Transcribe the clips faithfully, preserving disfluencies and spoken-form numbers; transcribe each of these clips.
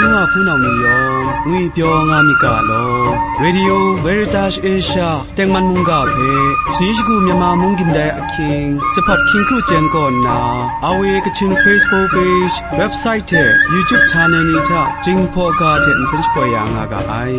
Nwa hpunau ni yawng ngwipyaw nga myit ga law. Radio Veritas Asia tengman mungga hpe, shani shagu Myanmar mung gindai ahkying, Jahpat hkying kru chyen kaw nna, R V A Kachin Facebook page, website hte YouTube channel ni hta Jinghpaw ga hte nsen shapoi ya nga ga ai.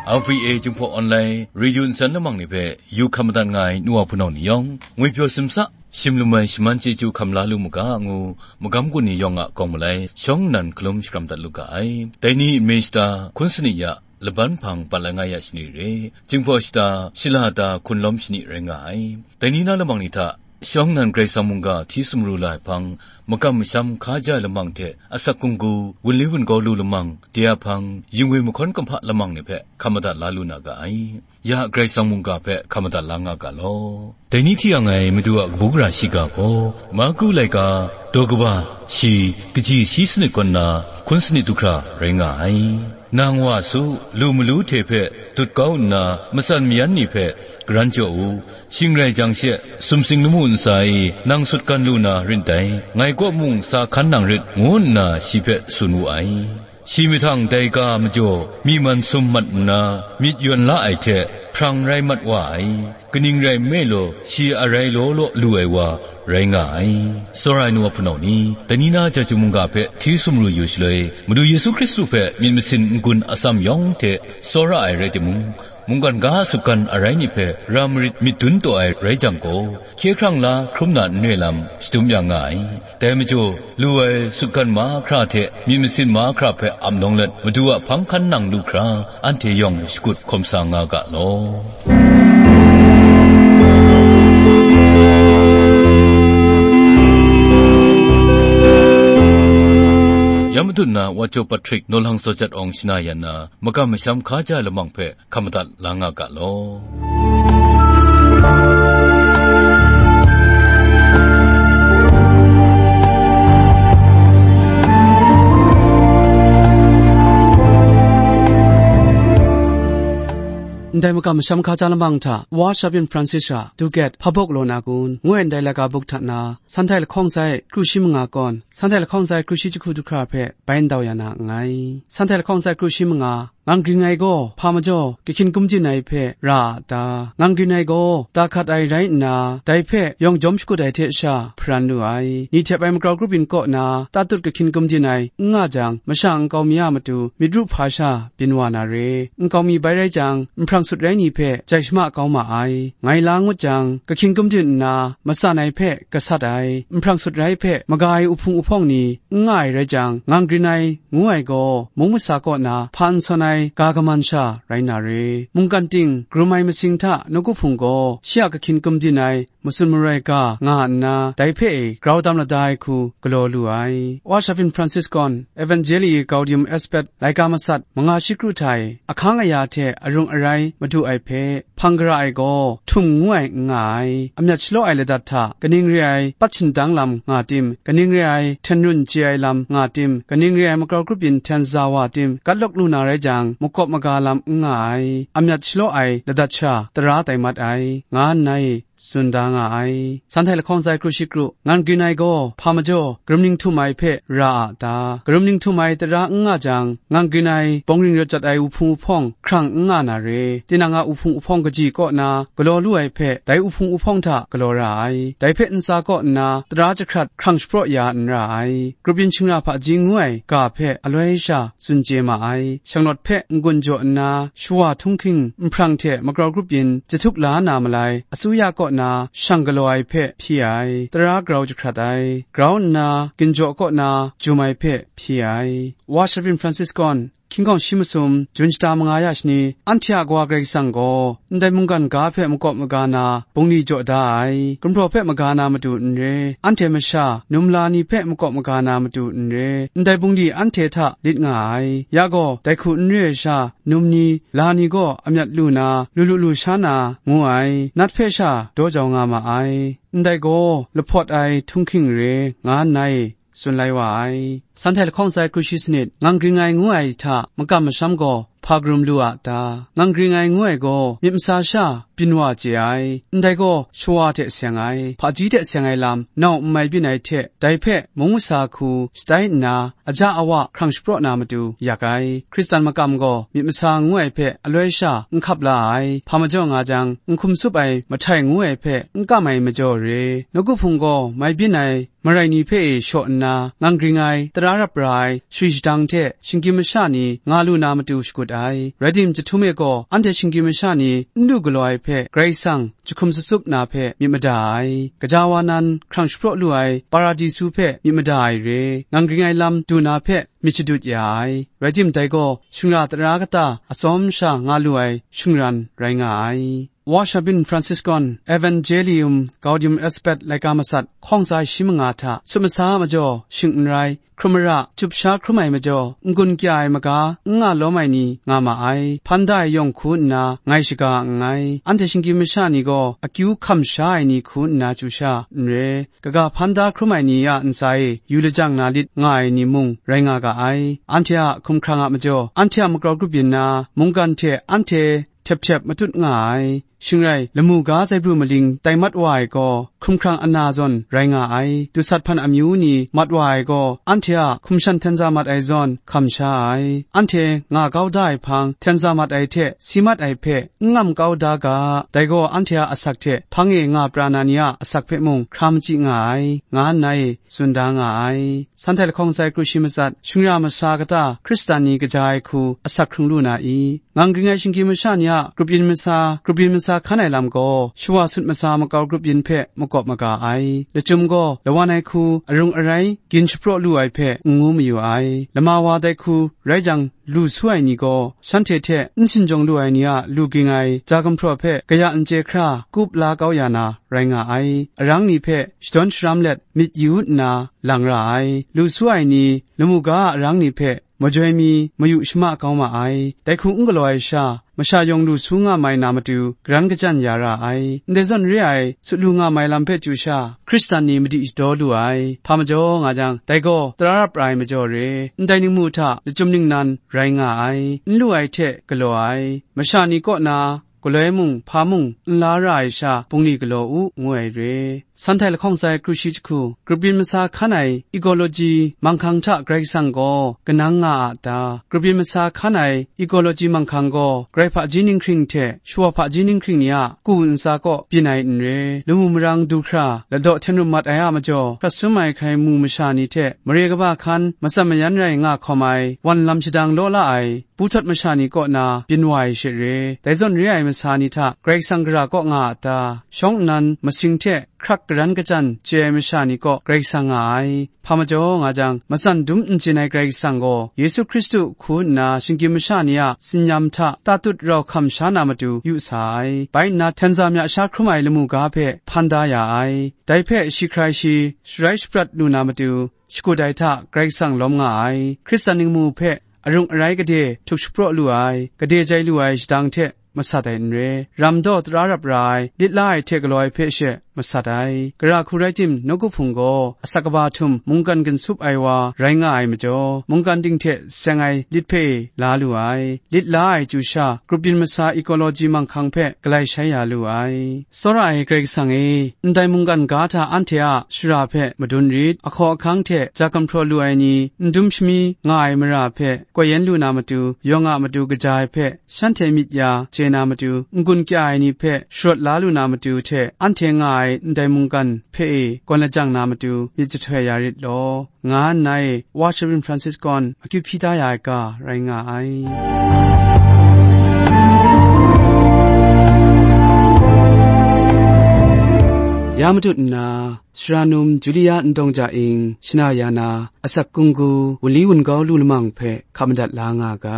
R V A Jinghpaw Online Radio ntsan lamang ni hpe yu hkam madat nga ai nu wa hpunau ni yawng, ngwipyaw simsa, shim lum ai shaman chyeju hkam la lu mu ga ngu, magam gun ni yawng a kawng malai shawng nnan hkalum shakram dat lu ga ai. Dai ni nme shata hkun sanit ya, laban hpang bat lai nga ya shani re, Jinghpaw shata shala ta hkun lawm shani rai nga ai. Dai ni na lamang ni hta, shawng nnan Karai Kasang mungga hti sumru la ai hpang, makam masham hkaja ai lamang hte asak gunggu, wunli wungaw lu lamang, de a hpang, yingwi mahkawn kumhpa lamang ni hpe hkam madat la lu na ga ai. Ya Karai Kasang mungga hpe hkam madat la nga ga law. Dai ni hti yang ai Madu a kabu gara shiga gaw, Marku laika, daw kaba, shi, kaji shi sanit kaw nna, hkun sanit du hkra rai nga ai. Nang wa su, lu malu hte hpe dut kau nna, matsan mayan ni hpe garan jaw u, shing rai jang she, sumsing lamu ntsa e nang sutgan lu na rit dai, ngai kaw mung sa hkan nang rit, ngu nna shi hpe tsun wu ai. Shi mahtang dai ga majaw, myi man sum mat nna, myit yawn la ai hte, hprang rai mat wa ai, kaning rai nme law, shi a rai law law lu ai wa rai nga ai. Tsawra ai nu wa hpunau ni, dai ni na chyeju mungga hpe hti sumru yu shaloi, Madu Yesu Hkristu hpe myit masin n-gun atsam yawng hte tsawra ai rai timung, mungkan ga a sutgan arai ni hpe ra marit myit dun taw ai rai jang gaw, hkye hkrang la hkrum na n re lam shadum ya nga ai. Dai majaw, lu ai sutgan mahkra hte myit masin mahkra hpe ap nawng let, Madu a hpang hkan nang lu hkra, anhte yawng shakut hkawm sa nga ga law. Ya madun na Wa Jaw Patrick, Nawlhang Zaw Jat Awng shana yan na, makam masham hkaja lamang hpe hkam madat la nga ga law. Ndai makam masham hkaja lamang hta, Wa Shavin Francis a Dugat Hpa Bawk Law Na Kun, ngu ai ndai laika buk hta na, Sanhtai lahkawng sai kru shi manga kawn, Sanhtai lahkawng sai kru shi jahku du hkra hpe bai ndau ya na nngai. Sanhtai lahkawng sai kru shi manga, ngang gring ai gaw hpa majaw kahkyin gumdin ai hpe ra a ta? Ngang grin ai gaw, da hkat ai rai nna, dai hpe yawng jawm shakut ai hte sha hparan lu ai. Ni htep ai makau grup yin kaw na tatut kahkyin gumdin ai n nga jang, masha nkau mi a matu myit ru hpa sha byin wa na re. Nkau mi bai rai jang, nhprang sut rai ni hpe jai shama kau ma ai. Ngai la ngut jang, kahkyin gumdin nna, matsan ai hpe gasat ai, nhprang sut rai hpe maga ai uhpung uhpawng ni n nga ai rai jang, ngang grin ai, ngu ai gaw, mung masa kaw na hpa n sawn ai ga kaman sha rai na re. Mungkan ting, karum ai masing hta nawku hpung gaw, shi a kahkyin gumdin ai, matsun maroi ga nga nna, dai hpe e grau dam lada ai hku galaw lu ai. Wa Shavin Francis gawn, Evangelii Gaudium et Spes laika masat manga shi kru hta e, ahkang aya hte arung arai madu ai hpe, hpang gara ai gaw, htum ngu ai n nga ai, amyat shalaw ai ladat hta kaning re ai pat shindang lam nga tim, kaning re ai hten run chye ai lam nga tim, kaning re ai makau grup yin hten za wa tim, gat lawk lu na rai jang, makawp maga lam n nga ai, amyat shalaw ai ladat sha tara tai mat ai, nga nna e tsun da nga ai. Sanhtai lahkawng sai kru shi kru, ngang grin ai gaw, hpa majaw, karum ning htum ai hpe ra a ta? Karum ning htum ai tara n nga jang, ngang grin ai bawng ring rawt jat ai uhpung uhpawng hkrang n nga na re. Tinang a uhpung uhpawng kaji kaw na galaw lu ai hpe, dai uhpung uhpawng hta galaw ra ai. Dai hpe ntsa kaw nna, tara jahkrat hkrang shapraw ya n ra ai. Grup yin shingra hpaji ngu ai ga hpe aloi sha tsun chye ma ai. Shanglawt hpe n-gun jaw nna, shawa htunghking nhprang hte makau grup yin jahtuk la na malai, asuya kaw na shang galaw ai hpe hpyi ai, tara grau jahkrat ai, grau nna ginjaw kaw na jum ai hpe hpyi ai. Wa Shavin Francis gawn, hkying hkawng shi masum, Jun shata manga ya shani, anhte a Kawa Karai Kasang gaw, ndai mungkan ga hpe makawp maga na, bungli jaw da ai, gumhpraw hpe maga na matu n re, anhte masha, num la ni hpe makawp maga na matu n re, ndai bungli anhte hta lit nga ai, ya gaw, dai hku n re ai sha, num ni, la ni gaw amyat lu na, lu lu lu sha na, ngu ai, nat hpe sha daw jau nga ma ai, ndai gaw, lahpawt ai htunghking re, nga nna e, tsun lai wa ai. Shanhte lahkawng sai kru shi sanit, ngang gring ai ngu ai hta makam masham gaw hpa karum lu a ta? Ngang gring ai ngu ai gaw myit masa sha byin wa chye ai. Ndai gaw shawa hte seng ai, hpaji hte seng ai lam nau n mai byin ai hte, dai hpe mung masa hku shatai nna, aja awa hkrang shapraw na matu yak ai. Hkristan makam gaw myit masa ngu ai hpe aloi sha n hkap la ai, hpa majaw nga jang, n hkum tsup ai mahtai ngu ai hpe n kam ai majaw re. Nawku hpung gaw mai byin ai marai ni hpe e shaw nna, ngang gring ai, tara rap ra ai, suri shadang hte shinggyim masha ni nga lu na matu shakut ai. Rai tim, chyahtum e gaw anhte shinggyim masha ni n lu galaw ai hpe Karai Kasang jahkum tsatsup na hpe myit mada ai, gaja wa nan hkrang shapraw lu ai Paradisu hpe myit mada ai re, ngang gring ai lam du na hpe myit shadut ya ai. Rai tim, dai gaw shingra tara kata atsawm sha nga lu ai shingran rai nga ai. Wa Shabin Franciscan Evangelium Gaudium et Spes laika matsat hkawng tsa shi manga hta sut masa majaw shing n rai, hkrum mara, chup sha hkrum ai majaw, n-gun kya ai maga, n nga lawm ai ni nga ma ai. Hpan da ai yawng hku nna ngai shaga nngai. Anhte shinggyim masha ni gaw akyu hkam sha ai ni hku nna chyu sha n re. Kaga hpan da hkrum ai ni a ntsa e yu lajang na lit nga ai ni mung rai nga ga ai. Anhte a hkumhkrang a majaw, anhte a makau grup yin na, mungkan hte anhte htep htep matut nga ai. Shing rai, lamu ga zaibru maling tai mat wa ai gaw, hkumhkrang ana zawn rai nga ai. Dusat hpan amyu ni mat wa ai gaw, anhte a hkum shan hten za mat ai zawn hkam sha ai. Anhte nga kau da ai hpang, hten za mat ai hte si mat ai hpe n ngam kau da ga, dai gaw anhte a asak hte hpang e nga pra na ni a asak hpe mung hkra machyi nga ai, nga nna e tsun da nga ai. Shanhte lahkawng sai kru shi matsat, shingran masa kata Hkristan ni kaja ai hku asak hkrung lu na i? Ngang gring ai shinggyim masha ni a grup yin masa, grup yin masa hkan ai lam gaw, shawa sut masa makau grup yin hpe makawp maga ai. Lachyum gaw lawan ai hku arung arai gyin shapraw lu ai hpe n ngu mayu ai. Lama wa dai hku rai jang, lu su ai ni gaw, shanhte hte n shinjawng lu ai ni a lu ging ai ja gumhpraw hpe kaya n chye hkra kup la kau ya na rai nga ai. Arang ni hpe shadawn sharam let myit yu nna lang ra ai. Lu su ai ni lamu ga a arang ni hpe majoi mi mayu shama kau ma ai. Dai hku n galaw ai sha, masha yawng lu su nga mai na matu, garan kajan ya ra ai. Ndai zawn re ai, sut lu nga mai lam hpe chyu sha, Hkristan ni madi shadaw lu ai. Hpa majaw nga jang, dai gaw tara rap ra ai majaw re. Ndai ningmu hta lachyum ningnan rai nga ai, n lu ai hte galaw ai, masha ni kaw na galoi mung hpa mung n la ra ai sha, bungli galaw u, ngu ai re. Shanhte lahkawng sai kru shi jahku, grup yin masa hkan ai ecology manghkang hta Karai Kasang gaw kanang nga a ta? Grup yin masa hkan ai ecology manghkang gaw, Karai hpaji ninghkring hte shawa hpaji ninghkring ni a ku ntsa kaw byin ai n re. Lamu marang du hkra, ladaw hten rum mat ai a majaw, hkrat sum ai hkrai mu masha ni hte mare kaba hkan, matsan mayan rai nga hkawm ai, wan lam shadang law la ai, bu htawt masha ni kaw na byin wa ai she re. Dai zawn re ai masa ni hta Karai Kasang gara kaw nga a ta? Shawng nnan masing hte hkrak garan kajan chye ai masha ni kaw Karai Kasang nga ai. Hpa majaw nga jang, matsan dum n chyin ai Karai Kasang gaw, Yesu Hkristu hku nna shinggyim masha ni a tsin-yam hta tatut rau hkam sha na matu yu sa ai. Bai nna, hten za mya sha hkrum ai lamu ga hpe hpan da ya ai. Dai hpe shi hkrai shi sharai shaprat lu na matu, shakut ai hta Karai Kasang lawm nga ai. Hkristan ningmu hpe arung arai gade htuk shapraw lu ai, gade jai lu ai shadang hte masat ai n re. Ram daw tara rap ra ai, lit la ai hte galaw ai hpe she masat ai. Gara hku rai tim, nawku hpung gaw asak kaba htum mungkan ginsup ai wa rai nga ai majaw, mungkan ting hte seng ai lit hpe la lu ai. Lit la ai chyu sha, grup yin masa ecology manghkang hpe galai shai ya lu ai. Tsawra ai Karai Kasang e, ndai mungkan ga hta anhte a shara hpe madun rit, ahkaw ahkang hte ja gumhpraw lu ai ni, n dum shami nga ai mara hpe koi yen lu na matu, yawng a matu kaja ai hpe shanhte myit ya chye na matu, n-gun kya ai ni hpe sharawt la lu na matu hte, anhte nga ai ndai mungkan hpe e gawn lajang na matu myit jahtoi ya rit law, nga nna e Wa Shabrin Franciscan akyu hpyi da ya ai ga rai nga ai. Ya matut nna, Sara num Julia Ndawng Ja Ing shana ya na asak kunggu wunli wungau lu lamang hpe hkap madat la nga ga.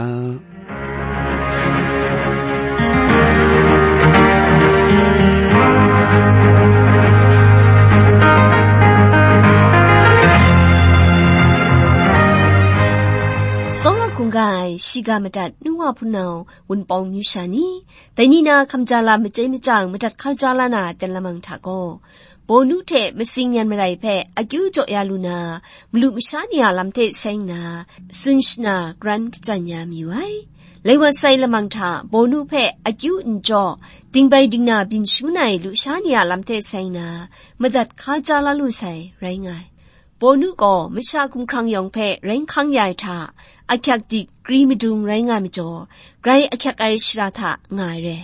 Tsawra hkungga ai shiga madat nu wa hpunau wunpawng myu sha ni, dai ni na hkamja lam machyai machyang madat hkauja la na ten lamang hta gaw, Bawnu hte matsing yan marai hpe akyu jaw ya lu na, malu masha ni a lam hte seng na, tsun shana karan kajan ya mayu ai. Lai wa sai lamang hta Bawnu hpe akyu n jaw, dingbai dingna byin shangun ai lusha ni a lam hte seng na, madat hka ja la lu sai rai nga ai. Bawnu gaw masha hkumhkrang yawng hpe rai hkang ya ai hta, ahkyak dik kri madung rai nga ai majaw, grai ahkyak ai shara hta nga ai re.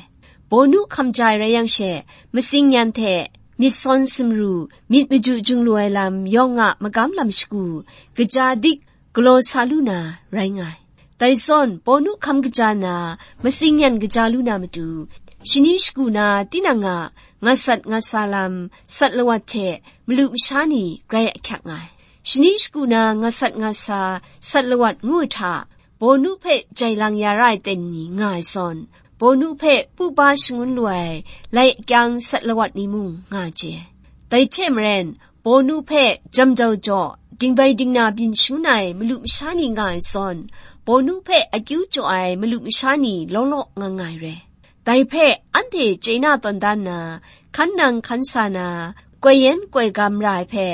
Bawnu hkam ja ai rai yang she, matsing yan hte myit sawn sumru, myit maju jung lu ai lam yawng a magam lam shagu, kaja dik galaw sa lu na rai nga ai. Dai zawn, Bawnu hkam kaja na, matsing yan kaja lu na matu, shani shagu na tinang a nga sat nga sa lam, sat lawat hte malu masha ni grai ahkyak nga ai. Shani shagu na nga sat nga sa, sat lawat ngu ai hta, Bawnu hpe jai lang ya ra ai ten ni nga ai zawn, Bawnu hpe pupa shangun lu ai lai akyang sat lawat ni mung nga je. Dai hte maren, Bawnu hpe jam jau jaw, dingbai dingna byin shangun ai malu masha ni nga ai zawn, Bawnu hpe akyu jaw ai malu masha ni law law nga nga ai re. Dai hpe anhte chye na tawn dan na, hkan nang hkan sa na, koi yen koi gam ra ai hpe,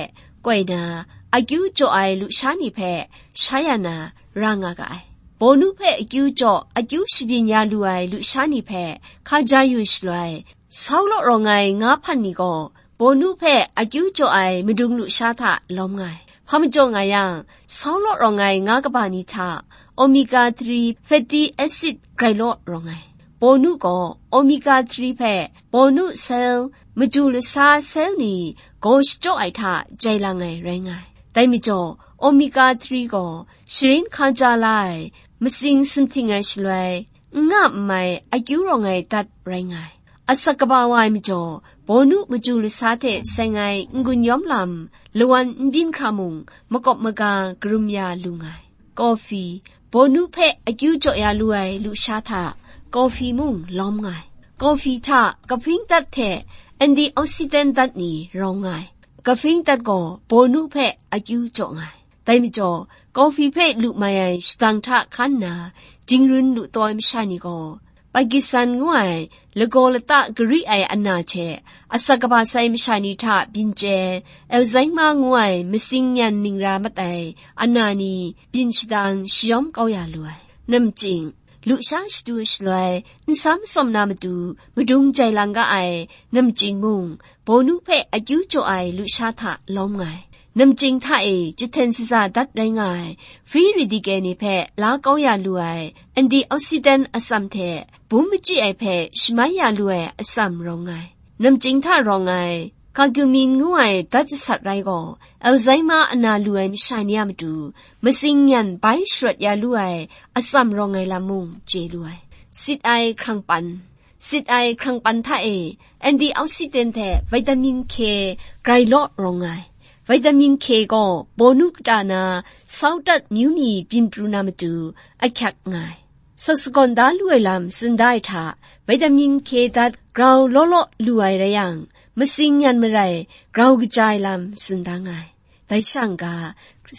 koi na, akyu jaw ai lusha ni hpe, sha ya na, ra nga ga ai. Bawnu hpe akyu jaw, akyu shabyin ya lu ai lusha ni hpe, hka ja yu shaloi, Saulaw rawng ai nga hpan ni gaw, Bawnu hpe akyu jaw ai madung lusha hta lawm nga ai. Hpa majaw nga yang, Saulaw rawng ai nga kaba ni hta, omega three fatty acid grai law rawng ai. Bawnu gaw omega three hpe Bawnu sel, maju lasa sel ni gaw shachyaw ai hta jai lang ai rai nga ai. Dai majaw, omega three gaw sharin hka ja la ai, matsing sumhting ai shaloi, n nga n mai akyu rawng ai dat rai nga ai. Asak kaba wa ai majaw, Bawnu maju lasa hte seng ai n-gun yawm lam, lawan n byin hkra mung, makawp maga karum ya lu nga ai. Kawfi, Bawnu hpe akyu jaw ya lu ai lusha hta, kawfi mung lawm nga ai. Kawfi hta kahpring dat hte antioxidant dat ni rawng nga ai. Kahpring dat gaw Bawnu hpe akyu jaw nga ai. Dai majaw, kawfi hpe lu mai ai shadang hta hkan nna, jingrun lu taw ai masha ni gaw, Pakistan ngu ai lagaw lata gari ai ana hte, asak kaba sai masha ni hta byin chye, Alzheimer ngu ai matsing yan ning ra mat ai ana ni byin shadang shayawm kau ya lu ai. Namching, lusha shadu shaloi, n sam tsawm na matu, madung jai lang ga ai, namching mung, Bawnu hpe akyu jaw ai lusha hta lawm nga ai. Namching hta e jahten shaza dat rai nga ai, free radical ni hpe la kau ya lu ai, antioxidant atsam hte, bum machyi ai hpe shamai ya lu ai atsam rawng nga ai. Namching hta rawng ai, curcumin ngu ai dat jasat rai gaw, Alzheimer ana lu ai masha ni a matu, matsing yan bai sharawt ya lu ai atsam rawng ai lam mung chye lu ai. Sit ai hkrang pan. Sit ai hkrang pan hta e, antioxidant hte vitamin K grai law rawng ai. Vitamin K gaw Bawnu kata na saudat myu ni byin pru na matu ahkyak nga ai. Sasagawn da lu ai lam tsun da ai hta, vitamin K dat grau law law lu ai rai yang, matsing yan marai grau kaja ai lam tsun da nga ai. Dai shang ga,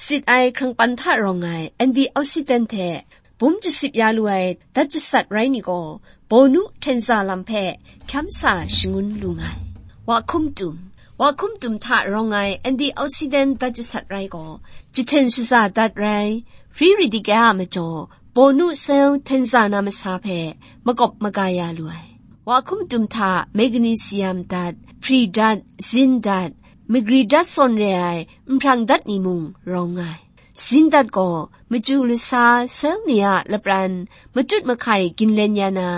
sit ai hkrang pan hta rawng ai antioxidant hte bum jasip ya lu ai dat jasat rai ni gaw, Bawnu htenza lam hpe hkyam sa shangun lu nga ai. Wa hkum tum. Wa hkum tum hta rawng ai antioxidant dat jasat rai gaw, jahten shaza dat rai, free radical a majaw, Bawnu sel htenza na masa hpe makawp maga ya lu ai. Wa hkum tum hta magnesium dat, pri dat, zin dat, magri dat sawn re ai nhprang dat ni mung rawng nga ai. Zin dat gaw machyu lasa sel ni a lapran matut mahkai ginlen ya na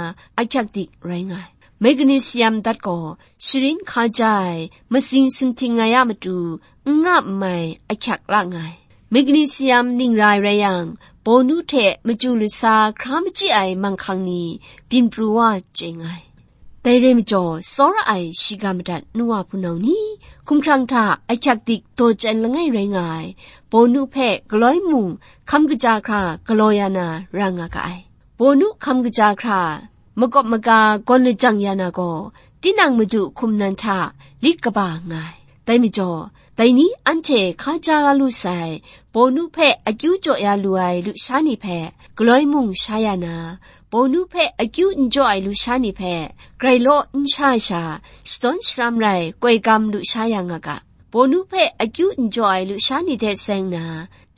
ahkyak dik rai nga ai. Magnesium dat gaw sharin hka ja ai matsing sumhting ai a matu n nga n mai ahkyak la nga ai. Magnesium ning ra ai rai yang, Bawnu hte machyu lasa hkra machyi ai manghkang ni byin pru wa chye nga ai. Dai rai majaw, tsawra ai shiga madat nu wa hpunau ni, hkumhkrang hta ahkyak dik daw chyan langai rai nga ai, Bawnu hpe galoi mung hkam kaja hkra galaw ya na ra nga ga ai. Bawnu hkam kaja hkra makawp maga gawn lajang ya na gaw, tinang Madu hkum nan hta lit kaba nga ai. Dai majaw, dai ni anhte hka ja la lu sai, Bawnu hpe akyu jaw ya lu ai lusha ni hpe galoi mung sha ya na, Bawnu hpe akyu n jaw ai lusha ni hpe grai law n sha ai sha, shadawn sharam rai koi gam lusha ya nga ga. Bawnu hpe akyu n jaw ai lusha ni hte seng na,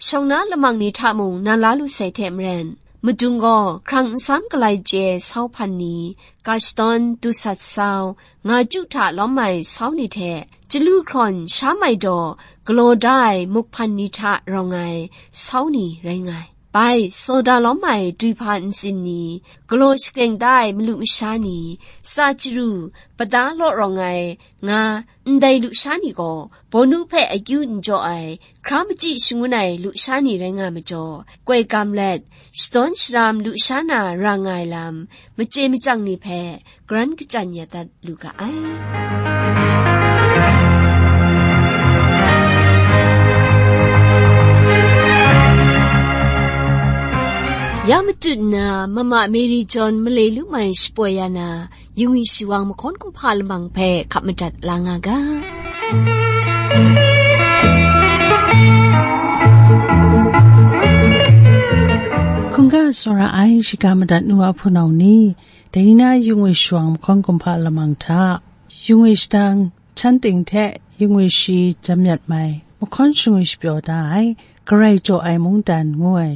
shawng na lamang ni hta mung na la lu sai hte maren, madung gaw hkrang nsam galai chye sau hpan ni, ga shadawn, dusat sau, nga chyu hta lawm ai sau ni hte, chyalu hkrawn sha mai daw galaw da ai muk hpan ni hta rawng ai sau ni rai nga ai. Bai, soda lawm ai duihpa ntsin ni, galaw shakreng da ai malu masha ni, tsa chyaru, pata law rawng ai, nga, ndai lusha ni gaw, bawnu hpe akyu n jaw ai, hkra machyi shangun ai lusha ni rai nga majaw, koi gam let, shadawn sharam lusha na ra nga ai lam, machye machyang ni hpe, karan kachyan ya dat lu ga ai. Ya matut nna, Mama Mary John malai lu mai shapoi ya na, Yungwi Shiwang mahkawn kumhpa lamang hpe hkap madat la nga ga. Hkungga tsawra ai shiga madat nu a hpunau ni, dai ni na Yungwi Shiwang mahkawn kumhpa lamang hta, Yungwi shadang, chan ting hte Yungwi shi jam yat mai, mahkawn shingwi shapyaw da ai, Karai jaw ai mungdan ngu ai,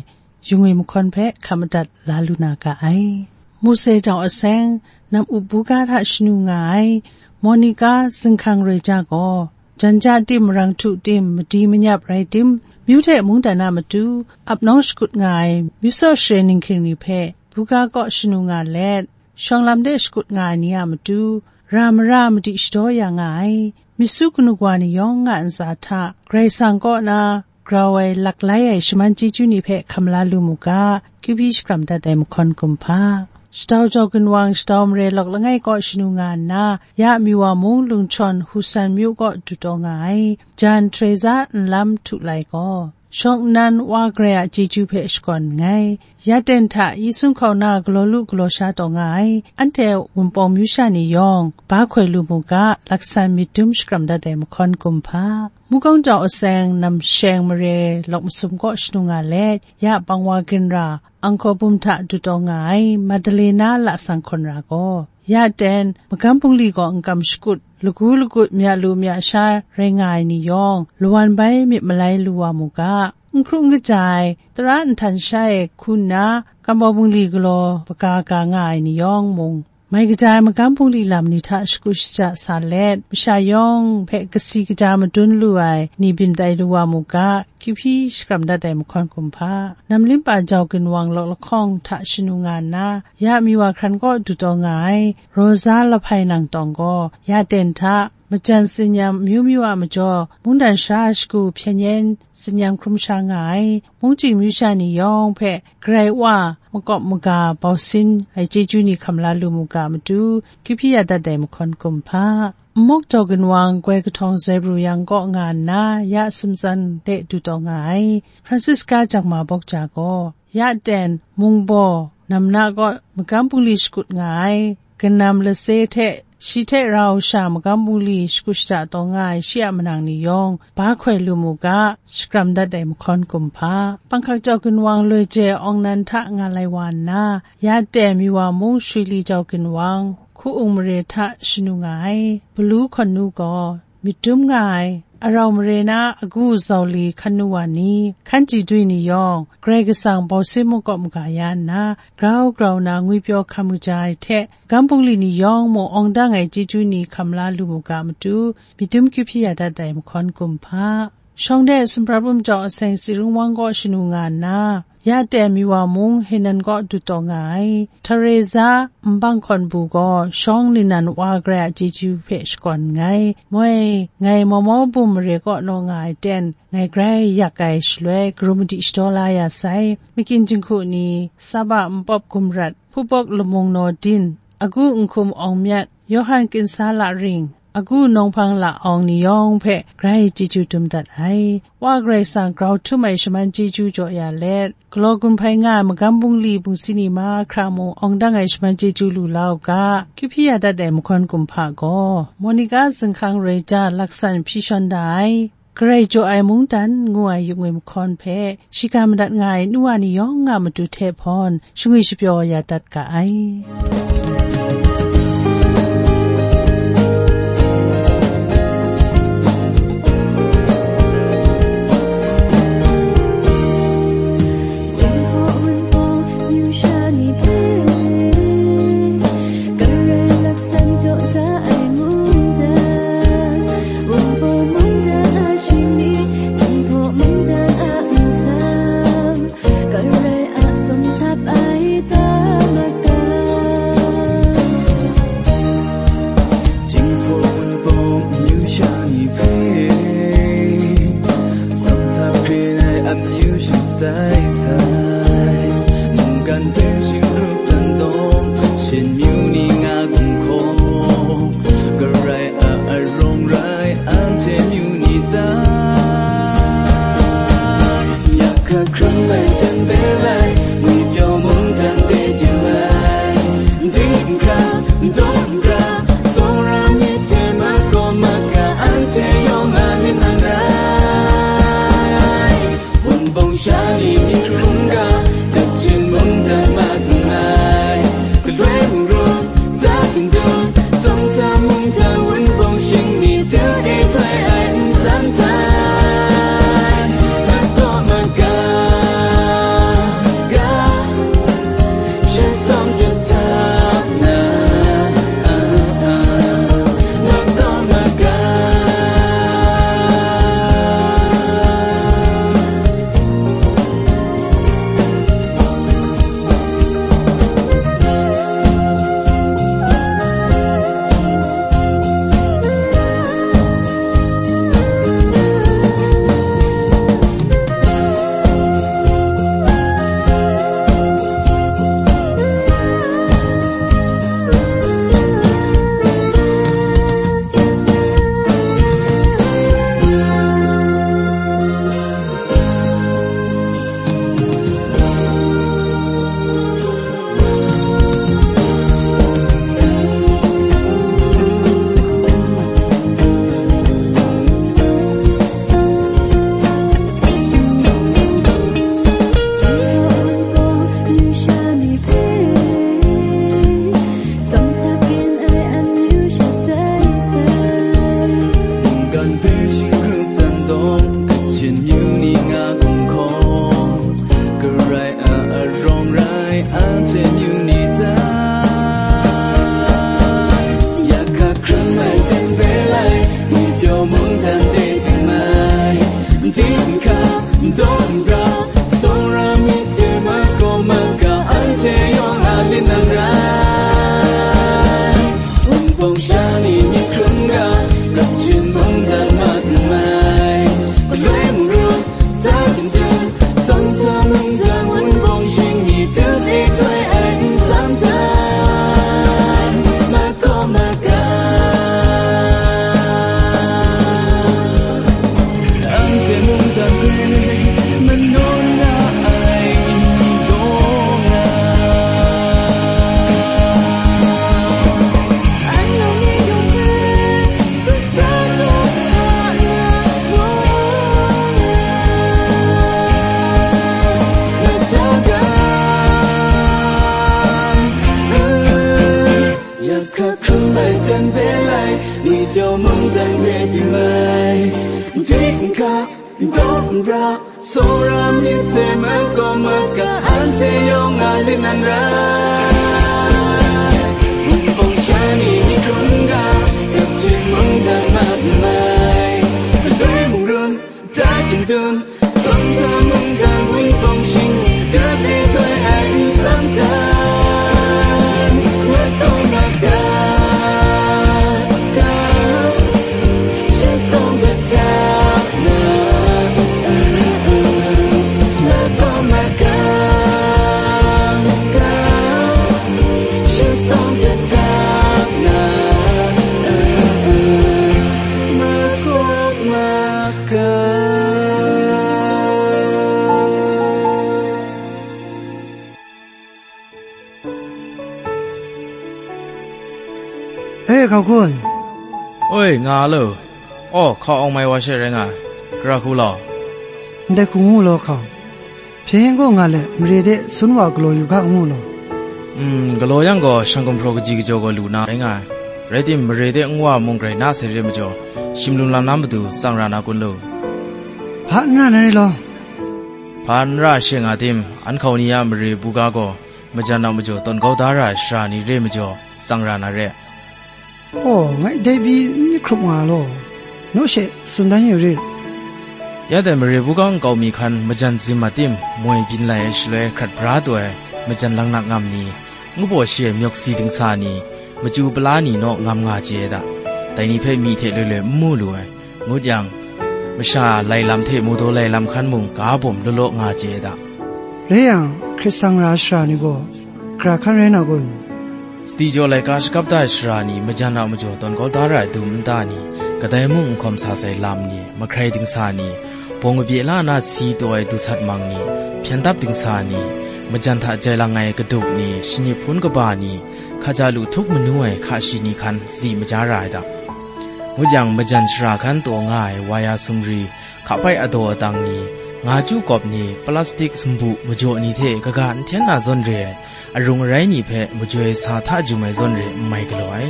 Yungwi mahkawn hpe hkap madat la lu na ga ai. Mose jawng aseng, nam up buga hta shanu nga ai, Monica zinghkang roi ja gaw, jan ja tim, marang htu tim, madi manyap rai tim, myu hte mungdan a matu, ap nawng shakut nga ai, myu saw share ninghking ni hpe, buga kaw shanu nga let, shawng lam de shakut nga ai ni a matu, ra mara madi shadaw ya nga ai, myit su kanu wa ni yawng a ntsa hta, Karai Kasang kaw na, grau ai, laklai ai shaman chyeju ni hpe hkam la lu mu ga, kyu hpyi shakram dat ai mahkawn kumhpa. Shadau jau ginwang, shadau mare lawk langai kaw shanu nga nna, ya Miwa mung lungchawn Husan myu kaw du taw nga ai, jan Teresa nlam htu lai gaw, shawng nnan Wa Karai a chyeju hpe shakawn nngai. Yaten hta Yesu hkauna galaw lu galaw sha taw nga ai, anhte Wunpawng myu sha ni yawng, ba hkoi lu mu ga, laksan myit dum shakram dat ai mahkawn kumhpa. Mukawng jau aseng, nam sheng mare lawk masum kaw shanu nga let, ya Pangwa ginra, Angkor bum hta du taw nga ai, Madalena lasang hkawn ra gaw, ya ten, magam bungli gaw n kam shakut, lagu lagut, mya lu mya sha rai nga ai ni yawng, lawan bai myit malai lu wa mu ga, n hkru n kaja ai, tara nhtan sha e hku nna, kambau bungli galaw baga ga nga ai ni yawng mung, mai kaja ai magam bungli lam ni hta shakut shaja sa let, masha yawng hpe kasi kaja madun lu ai ni byin tai lu wa mu ga, kyu hpyi shakram dat ai mahkawn kumhpa. Namlimpa jau ginwang lawk lahkawng hta shanu nga nna, ya Miwa hkran kaw du taw nga ai, Rosa lahpai nang tawng gaw, ya ten hta, majan tsinyam amyu myu a majaw, mungdan sha shagu hpyen yen tsinyam hkrum sha nga ai, mungchying myu sha ni yawng hpe, Karai Wa makawp maga bau sin ai chyeju ni hkam la lu mu ga matu, kyu hpyi ya dat ai mahkawn kumhpa. Nmawk jau ginwang goi kahtawng Zebru yang kaw nga nna, ya sumtsan de du taw nga ai, Francisca jangma bawk ja gaw, ya ten, mungbaw, namna kaw magam bungli shakut nga ai, kanam lase hte, shi hte rau sha magam bungli shakut shada taw nga ai shi a manang ni yawng, ba hkoi lu mu ga, shakram dat ai mahkawn kumhpa. Panghkak jau ginwang loi je awng nan hta nga lai wa nna, ya ten Miwa mung Shwili jau ginwang, hku-ung mare hta shanu nga ai, Balu hkawn nu gaw, myit dum nga ai, arau mare na agu zauli hkan nu wa ni, hkan chyeju ni yawng, Karai Kasang bau sin makawp maga ya nna, grau grau na ngwipyaw hkam kaja ai hte, magam bungli ni yawng mung awng dang ai chyeju ni hkam la lu mu ga matu, myit dum kyu hpyi ya dat ai mahkawn kumhpa. Shawng de sumprap um jau aseng Tsirung wang kaw shanu nga nna, ya ten Miwa mung Henan kaw du taw nga ai, Teresa nbang hkawn bu gaw shawng ningnan Wa Karai a chyeju hpe shakawn nngai. Moi, ngai mau mau bum mare kaw naw nga ai ten, ngai grai yak ai shaloi, karum madi shadaw la ya sai, makyin jinghku ni, Saba npawp gumrat, hpupawk lamung naw din, agu nhkum awng myat, Yawhan kinsa la ring, agu nawng hpang la awng ni yawng hpe grai chyeju dum dat ai. Wa Karai Kasang grau htum ai shaman chyeju jaw ya let, galaw gun hpai nga ai magam bungli bungsi ni mahkra mung awng dang ai shaman chyeju lu la u ga, kyu hpyi ya dat ai mahkawn kumhpa gaw, Monica zinghkang roi ja laksan hpyi shawn da ai, Karai jaw ai mungdan ngu ai yu-ngwi mahkawn hpe shiga madat nga ai nu wa ni yawng a matu hte hpawn shangwi shapyaw ya dat ga ai. Jinghpaw Wunpawng amyu sha ni hpe, Karai laksan jaw da ai mungdan, Wunpawng mungdan a shingni, Jinghpaw mungdan a nsam, Karai a sum htap ai ta maga. Jinghpaw Wunpawng amyu sha ni hpe, sum htap hkrin ai amyu shatai sai, mungkan hpe shingrup dan dawng, Kachin myu ni nga gumhkawng, Karai a arawng rai anhte myu ni ta? Yak hka hkrung ai jan hpe lai, ngwi pyaw mungdan hpe du ai, ding n hkra, daw n hkra, tsawra myit hte makawp maga anhte yawng a lit nan rai. Wunpawng sha ni myit hkrum ga, Kachin mungdan mat nngai. Galoi mungrum, ta kandun, Sawngta mungdan, Wunpawng shingni, du e htoi ai nsam hta, mat kaw mat ga, ga, sha sawng jahta na, ah, ah, mat kaw mat ga. Mungkan hpe shingrup dan dawng, Kachin myu ni nga gumhkawng, Karai a arawng rai anhte myu ni ta? Yak hka hkrung ai jan hpe lai, ngwi pyaw mungdan de jang ai, ding n hkra, daw n hkra, tsawra myit hte makawp maga anhte yawng a lit nan rai. Wunpawng sha ni myit hkrum ga, Kachin mungdan mat nngai. Galoi mungrum, ta kandun, Sawngta mungdan, Wunpawng shingni, du e htoi ai nsam hta, mat kaw mat ga. Anhte mungdan hpe manawn la ai ni gaw nga, anhte ni yawng hpe sutprat kau hkra na gaw nga, na hta ga. Yak hka hkrung ai jan hpe lai, ngwi pyaw mungdan hpe du ai, ding n hkra, daw n hkra, tsawra myit hte makawp maga anhte yawng a lit nan rai. Wunpawng sha ni myit hkrum ga, Kachin mungdan mat nngai. Galoi mungrum, ta kandun, Sawngta mungdan, Wunpawng shingni, du e htoi ai nsam hta, mat kaw mat ga, ga, sha sawng jahta na, mat kaw mat ga, ga, sha sawng jahta na, mat kaw mat ga. E, hkau kun. Oi, nga lo. Aw, hkau awng mai wa she rai nga ai. Gara hku law. Ndai hku ngu law hkau. Hpyen gaw nga let, mare de sun wa galaw yu ga ngu law. Mm, galaw yang gaw, shang gumhpraw kaji kajaw gaw lu na rai nga ai. Rai tim, mare de nwa mung grai na sai re majaw, shim lum lam na matu tsang ra na kun lu. Hpa n ra na re law. Hpa n ra she nga tim, an hkau ni a mare buga gaw, majan a majaw tawn kau da ra ai sara ni re majaw, tsang ra na re. Aw, ngai dai pyi n myit hkrup nga law, naw she tsun dan yu rit. Ya dai mare buga nkau mi hkan majan zim a tim moi byin lai ai shaloi hkrat bra taw ai majan langnak ngam ni, ngu baw shi ai myawk si dingsa ni, machyu pala ni naw ngam nga chye ai da. Dai ni hpe myi hte loi loi n mu lu ai. Ngut yang, masha lai lam hte mawdaw lai lam hkan mung ga bawm law law nga chye ai da. Rai yang, hkrit sang ra ai sara ni gaw, gara hkan rai na kun? Sadi jaw laika shakap da ai sara ni, majan a majaw tawn kau da ra ai dum nta ni, kadai mung n hkawm sa sai lam ni, mahkrai dingsa ni, bawng kabye la na si taw ai du sat mang ni, hpyen dap dingsa ni, majan hta jai lang ai kaduk ni, shanip hpun kaba ni, hkaja lu htup manu ai hka shi ni hkan sadi maja ra ai da. Ngut yang, majan shara hkan taw nga ai waya sumri, hka pai adaw adang ni, nga chyu kawp ni, plastik sumbu majaw ni hte kaga n hten na zawn re ai, arung arai ni hpe majoi sa hta jum ai zawn re n mai galaw ai.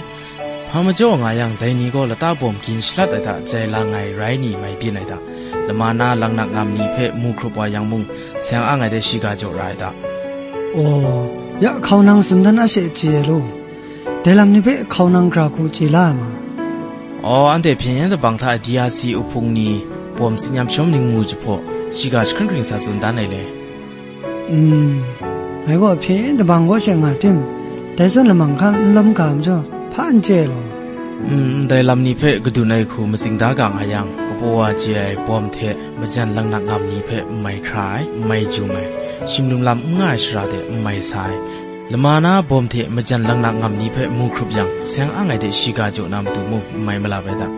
Hpa majaw nga yang, dai ni gaw lata bawm gin shalat ai hta jai lang ai rai ni mai byin ai hta, lama na langnak ngam ni hpe mu hkrup wa yang mung, seng ang ai de shiga jaw ra ai hta. Aw, ya hkau nang tsun dan a she chye ai law. Dai lam ni hpe hkau nang gara hku chye la ai ma? Aw, anhte hpyen yen dabang hta D R C uhpung ni bawm tsin yam shawm ningmu jahpaw, shiga jahkring hkring sa tsun dan ai le. Mm, ngai gaw hpyen yen dabang kaw she nga tim, dai zawn lamang hkan n lawm ga majaw, hpa n chye ai law. Mm, ndai lam ni hpe kadun ai hku matsing da ga nga yang, kapaw wa chye ai bawm hte majan langnak ngam ni hpe n mai hkra ai, n mai jum ai, shim lum lam n nga ai shara de n mai sa ai, lama na bawm hte majan langnak ngam ni hpe mu hkrup yang, seng ang ai de shiga jaw na matu mung n mai malap ai da.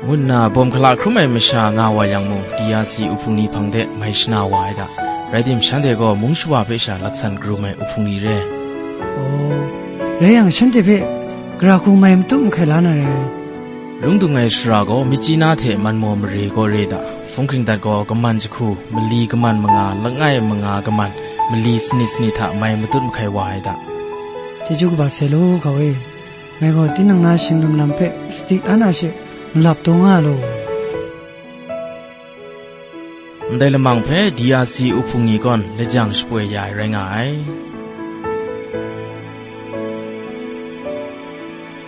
Ngu nna bawm hkala hkrum ai masha nga wa yang mung, D R C uhpung ni hpang de mai shana wa ai da. Rai tim, shanhte gaw mung shawa hpe sha laksan karum ai uhpung ni re. Aw, rai yang, shanhte hpe gara hku mai matut mahkai la na re. Lung dung ai shara gaw, Myitkyina hte Manmaw mare gaw re da. Hpung hkring dat gaw, kaman jahku, mali kaman manga, langai manga kaman, mali sanit sanit hta mai matut mahkai wa ai da. Chyeju kaba sai law, hkau e. Ngai gaw tinang na shing lum lam hpe sadi an a she nlap taw nga law. Ndai lamang hpe D R C uhpung ni gawn lajang shapoi ya ai rai nga ai.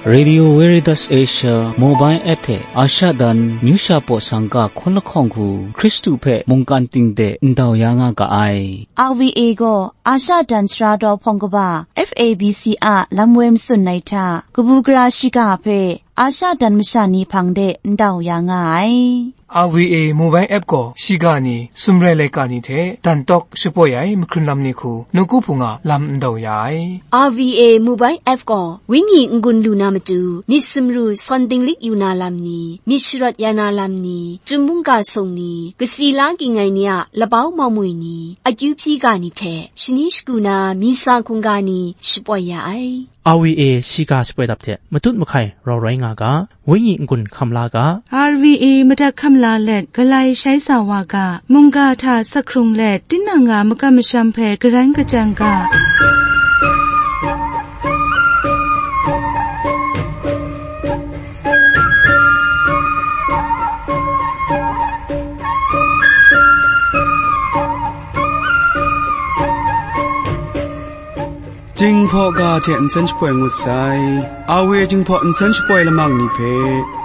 Radio Veritas Asia mobile app hte Asha dan Myu Sha Paw Sangka hkawn lahkawng hku Hkristu hpe mungkan ting de ndau ya nga ga ai. R V A gaw Asha dan sara daw hpawng kaba F A B C a lam woi matsun ai hta, kabu gara shiga hpe Asha dan masha ni hpang de ndau ya nga ai. R V A mobile app gaw shiga ni, sumrai laika ni hte dan tawk shapoi ai mahkrun lam ni hku, nawku hpung a lam ndau ya ai. R V A mobile app gaw wenyi n-gun lu na matu, myit sumru sawn dinglik yu na lam ni, myit sharawt ya na lam ni, chyum mungga sung ni, kasi la ging ai ni a labau mamwi ni, akyu hpyi ga ni hte shani shagu na misa hkungga ni shapoi ya ai. R V A shiga shapoi dap hte matut mahkai rau rai nga ga, wenyi n-gun hkam la ga. R V A madat hkam la let, galai shai sa wa ga, mungga hta sak hkrung let, tinang a makam masham hpe garan kachyan ga. Jinghpaw ga hte nsen shapoi ngut sai. R V A Jinghpaw nsen shapoi lamang ni hpe,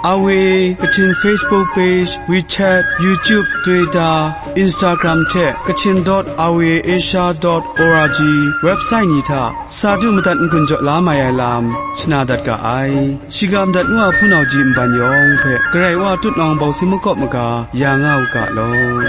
R V A Kachin Facebook page, WeChat, YouTube, Twitter, Instagram hte Kachin dot R V A Asia dot O R G website ni hta sa du madat n-gun jaw la mai ai lam shana dat ga ai. Shiga madat ngu a hpunau ji nban yawng hpe Karai Wa tutnawng bawsing makawp maga ya nga u ga law.